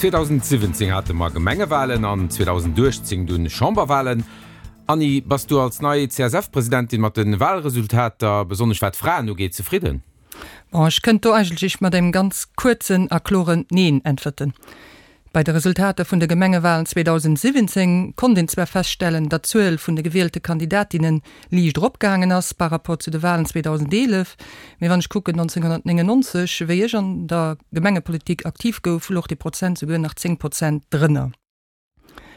2017 hate mer Gemengewalen an 2018 dunn Chamberwalen. Anny, bass du als nei CSF-Presidentin mat de Walresultater, besonnesch wat d'Fraen ugeet, zefridden? Bon, ech kënnt do eigentlech mat engem ganz kuerzen a kloren Neen äntwerten. Bei de Resultater vun de Gemengewalen 2017 konnt een zwar feststellen, datt d'Zuel vun de gewielte Kandidatinne liicht eropgaangen ass par rapport zu de Walen 2011, mee wann ech kucken 1999, wéi ech an der Gemengepolitik aktiv gouf, louch dee Prozent souguer nach 10 Prozent drënner.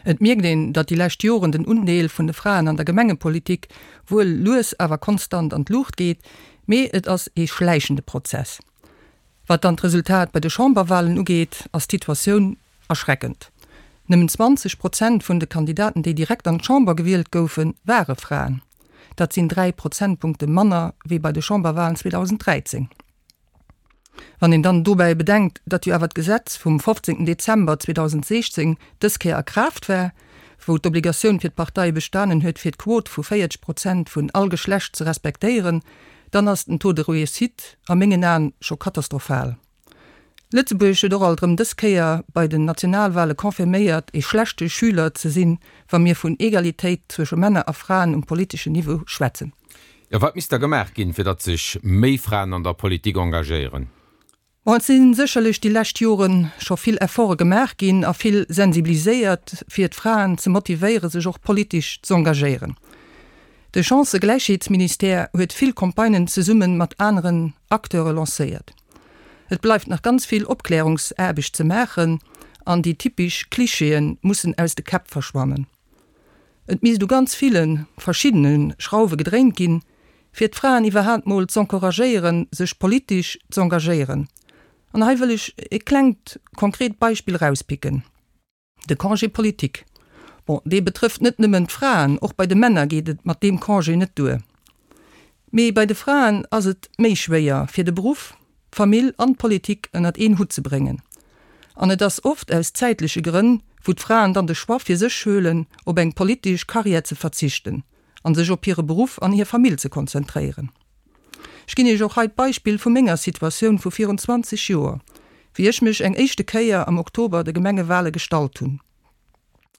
Et mierkt een, datt déi lescht Joren den Undeel vun de Fraen an der Gemengepolitik wuel lues awer konstant an d'Luucht geet, mee et ass ee schläichende Prozess. Wat dann d'Resultat bei de Chamberwalen ugeet, ass d'Situatioun erschreckend. Nëmmen 20 Prozent vun de Kandidaten, déi direkt an d'Chamber gewielt goufen, ware Fraen. Dat sinn 3 Prozentpunkte manner wéi bei de Chamberwalen 2013. Wann een dann dobäi bedenkt, datt jo awer d'Gesetz vum 15 Dezember 2016 dës Kéier a Kraaft war, wou d'Obligatioun fir d'Parteie bestanen huet, fir d'Quot vu 40 Prozent vun all Geschlecht ze respektéieren, dann ass den Taux de réussite a mengen Aen scho katastrophal. Lëtzebuerg huet och alt erëm dës Kéier bei den Nationalwale confirméiert, ee schlechte Schüler ze sinn, wa mir vun Egalitéit zwësche Männer a Fraen um politeschen Niveau schwätzen. Jo, wat misst da gemaach ginn, fir datt sech méi Fraen an der Politik engagéieren? Bon, et si sécherlech déi lescht Jore scho vill Efforte gemaach ginn a vill sensibiliséiert, fir d'Fraen ze motivéieren, sech och politesch z'engagéieren. De Chancëgläichheetsministère huet vill Campagnen zesumme mat aneren Acteure lancéiert. Et bleift nach ganz vill Opklärungsaarbecht ze maachen an déi typesch Klischeeë mussen aus de Käpp verschwannen. Et misst u ganz ville verschiddene Schrauwe gedréint ginn, fir d'Fraen iwwerhaapt mol z'encouragéieren, sech politesch z'engagéieren. An hei wëll ech e klengt konkret Beispill erauspicken, de Congé politique. Bon, dee betrëfft net nëmmen d'Fraen, och bei de Männer geet et mat deem Congé net duer. Mee bei de Fraen ass et méi schwéier, fir de Beruff, d'Famill an d'Politik ënnert een Hutt ze bréngen. An et ass oft aus zäitleche Grënn, wou d'Fraen dann de Choix fir sech huelen, op eng politesch Karriär ze verzichten an sech op hire Beruff an hir Famill ze konzentréieren. Ech ginn Iech och hei d'Beispill vu menger Situatioun vu virun 20 Joer, wéi ech mech eng éischte Kéier am Oktober de Gemengewale gestallt hunn.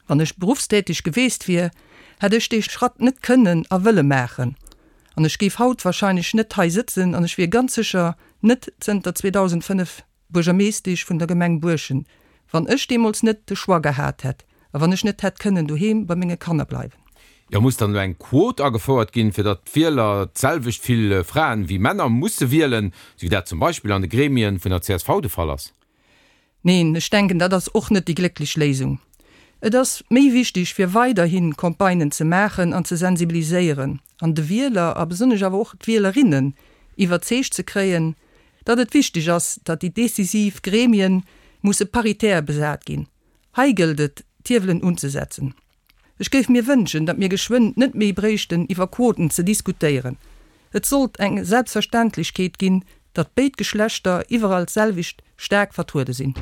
Wann ech beruffstäteg geweest wier, hätt ech dee Schratt net kënnen a wëlle maachen an ech géif haut wahrscheinlech net hei sëtzen an ech wier ganz sécher net zënter 2005 Buergermeeschtesch vun der Gemeng Buerschent, wann ech deemools net de Choix gehat hätt a wann ech net hätt kënnen doheem bei menge Kanner bleiwen. Jo, muss dann elo eng Quot agefouert ginn, fir datt d'Wieler d'selwecht vill Fraen wéi Männer musse wielen, sou wéi dat zum Beispill an de Gremien vun der csv de Fall ass? Neen, ech denken, dat ass och net déi glécklech Léisung. Et ass méi wichtig, fir weiderhi Campagnen ze maachen an ze sensibiliséieren an de Wieler a besonnesch awer och d'Wielerinnen iwwerzeegt ze kréien, datt et wichtig ass, datt déi decisiv Gremien musse paritär besat ginn. Hei gëllt et, d'Hiewelen unzesetzen. Ech géif mir wënschen, datt mir geschwënn net méi bréichten iwwer Quoten ze diskutéieren. Et sollt eng Selbstverständlechkeet ginn, datt béid Geschlechter iwwerall d'selwecht staark vertruede sinn.